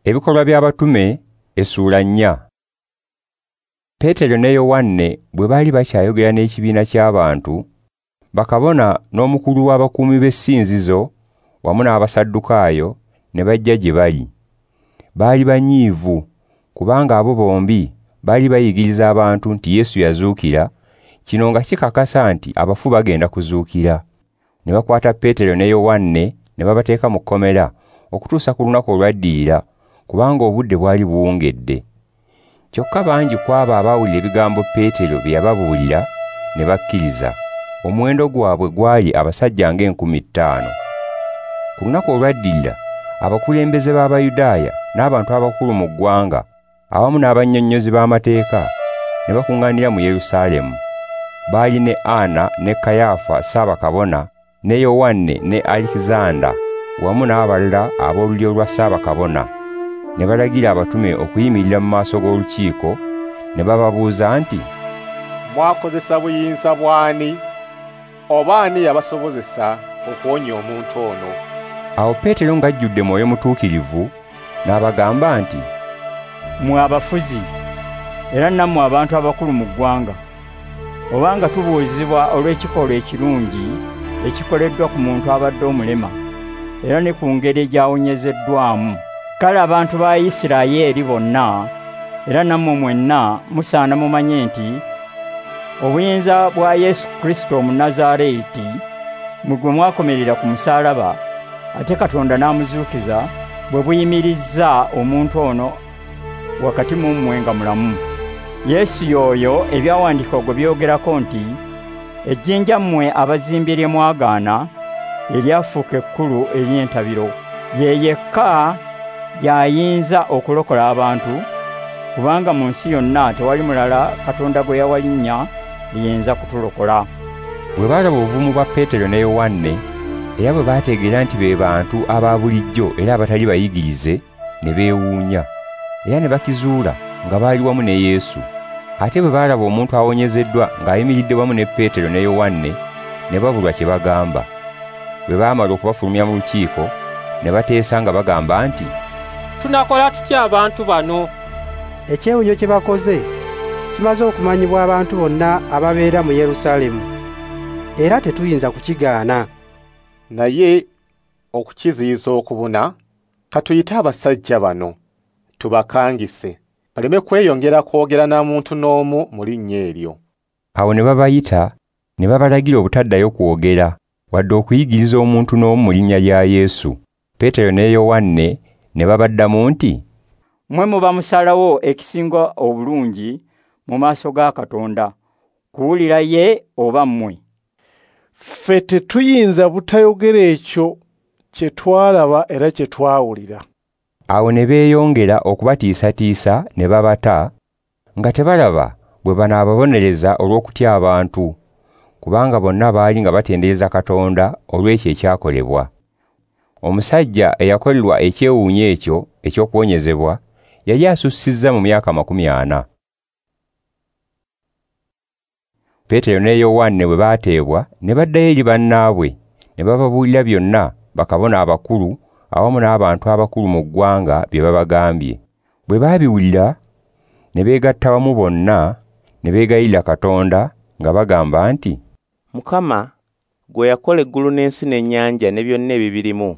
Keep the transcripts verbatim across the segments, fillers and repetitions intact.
Ebikolwa by'Abatume essuula nnya. Peetero ne Yowanne bwe baali bakyayogera n'ekibiina ky'abantu, bakabona n'omukulu w'abakuumi b'essinzizo wamu n'Abasaddukaayo ne bajja gye bali. Baali banyiivu kubanga abo bombi baali bayigiriza abantu nti Yesu yazuukira, kino nga kikakasa nti abafu bagenda kuzuukira. Ne bakwata Peetero ne Yowanne ne babateeka mu kkomera okutuusa ku lunaku olwaddirira, kubanga obudde bwali buwungedde. Kyokka bangi ku abo abaawulira ebigambo Peetero bye yababuulira ne bakkiriza. Omuwendo gwabwe gwali abasajja ng'enkumi ttaano. Ku lunaku olwaddirira, abakulembeze b'Abayudaaya n'abantu abakulu mu ggwanga awamu n'abannyonnyozi b'amateeka ne bakuŋŋaanira mu Yerusaalemu. Baali ne Ana ne Kayaafa Ssaabakabona ne Yowanne ne Alikizanda wamu n'abalala ab'olulyo lwa Ssaabakabona. Ne balagira abatume okuyimirira mu maaso g'olukiiko ne bababuuza nti, "Mwakozesa buyinza bw'ani oba ani yabasobozesa okuwonya omuntu ono?" Awo Peetero ng'ajjudde Mwoyo Mutuukirivu n'abagamba nti, "Mmwe abafuzi era nammwe abantu abakulu mu ggwanga, obanga tubuuzibwa olw'ekikolwa ekirungi ekikoleddwa ku muntu abadde omulema era ne ku ngeri gy'awonyezeddwamu, kale abantu ba Isirayiri bonna era nammwe mwenna musaana mumanye nti obuyinza bwa Yesu Kristo Omunnazaaleeti mmwe gwe mwakomerera ku musaalaba, ate Katonda n'amuzuukiza, bwe buyimirizza omuntu ono wakati mu mmwe nga mulamu. Yesu y'oyo ebyawandiikibwa gwe byogerako nti, ejjinja mmwe abazimbi lye mwagaana eryafuuka ekkulu ery'entabiro. Ye yekka y'ayinza okulokola abantu, kubanga mu nsi yonna tewali mulala Katonda gwe yawa linnya liyinza kutulokola." Bwe baalaba obuvumu bwa Peetero ne Yowanne, era bwe baategeera nti be bantu aba bulijjo era abatali bayigirize, ne beewuunya, era ne bakizuula nga baali wamu ne Yesu. Ate bwe baalaba omuntu awonyezeddwa ng'ayimiridde wamu ne Peetero ne Yowanne, ne babulwa kye bagamba. Bwe baamala okubafulumya mu lukiiko, ne bateesa nga bagamba nti, "Tunakola tutya abantu bano? Ekyewuunyo kye bakoze kimaze okumanyibwa abantu bonna ababeera mu Yerusaalemu, era tetuyinza kukigaana. Naye okukiziyiza okubuna, katuyite abasajja bano tubakangise, baleme kweyongera kwogera na muntu n'omu mu linnya eryo." Awo ne babayita ne babalagira obutaddayo kwogera wadde okuyigiriza omuntu n'omu mu linnya lya Yesu. Peetero ne Yowanne ne babaddamu nti, "Mmwe muba musalawo ekisinga obulungi mu maaso ga Katonda, kuwulira ye oba mmwe? Ffe tetuyinza butayogera ekyo kye twalaba era kye twawulira." Awo ne beeyongera okubatiisatiisa ne babata, nga tebalaba bwe banaababonereza olw'okutya abantu, kubanga bonna baali nga batendereza Katonda olw'ekyo ekyakolebwa. Omusajja eyakolerwa ekyewuunyo ekyo eky'okuwonyezebwa yali asussizza mu myaka makumi ana. Peetero ne Yowanne bwe baateebwa ne baddayo eri bannaabwe ne bababuulira byonna bakabona abakulu awamu n'abantu abakulu mu ggwanga bye babagambye. Bwe baabiwulira ne beegatta wamu bonna ne beegayirira Katonda nga bagamba nti, "Mukama, gwe yakola eggulu n'ensi n'ennyanja ne byonna ebibirimu,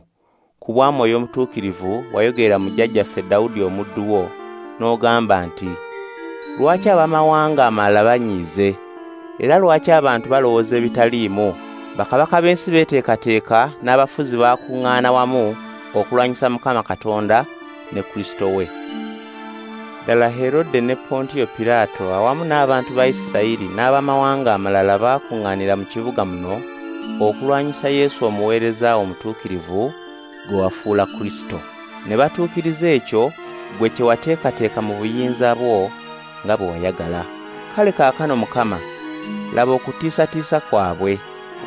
ku bwa Mwoyo Omutuukirivu wayogerera mu jjajjaffe Dawudi omuddu wo, n'ogamba nti, lwaki abamawanga amalala banyiize, era lwaki abantu balowooza ebitaliimu? Bakabaka b'ensi beeteekateeka n'abafuzi baakuŋŋaana wamu okulwanyisa Mukama Katonda ne Kristo we. Ddala Herode ne Pontiyo Piraato awamu n'abantu ba Isirayiri n'abamawanga amalala baakuŋŋaanira mu kibuga muno okulwanyisa Yesu omuweereza omutuukirivu gwe wafuula Kristo. Ne batuukiriza ekyo gwe kye wateekateeka mu buyinza bwo nga bwe wayagala. Kale kaakano Mukama, laba okutiisatiisa kwabwe,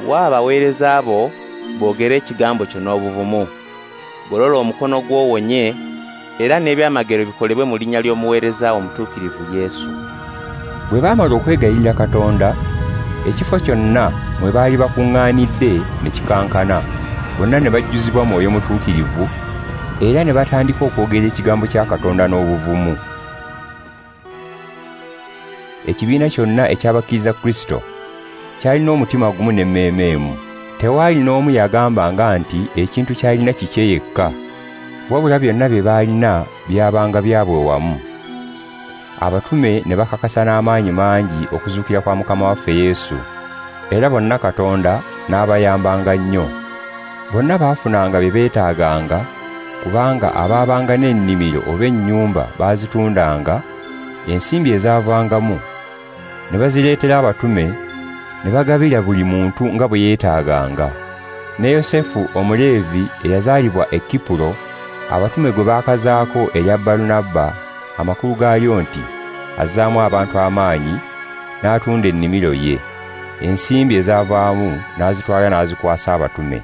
wa abaweereza bo boogere ekigambo kyo n'obuvumu. Golola omukono gw'owonye, era n'ebyamagero bikolebwe mu linnya ly'omuweereza omutuukirivu Yesu." Bwe baamala okwegayirira Katonda, ekifo kyonna mwe baali bakuŋŋaanidde ne kikankana, bonna ne bajjuzibwa Mwoyo Mutuukirivu, Era ne batandika okwogera ekigambo kya Katonda n'obuvumu. Ekibiina kyonna eky'abakkiriza Kristo kyalina omutima gumu n'emmeeme emu. Tewaali n'omu yagambanga nti ekintu ky'alina kikye yekka, wabula byonna bye baalina byabanga byabwe wamu. Abatume ne bakakasa n'amaanyi mangi okuzuukira kwa Mukama waffe Yesu, era bonna Katonda n'abayambanga nnyo. Bonna baafunanga bye beetaaganga, kubanga abaabanga n'ennimiro oba ennyumba baazitundanga, ensimbi ezaavangamu ne bazireetera abatume, ne bagabira buli muntu nga bwe yeetaaganga. Ne Yosefu Omuleevi eyazaalibwa e Kipuro, abatume gwe baakazaako erya Balunabba, amakulu gaalyo nti azzaamu abantu amaanyi, n'atunda ennimiro ye. Ensimbi ezaavaamu n'azitwala n'azikwasa abatume.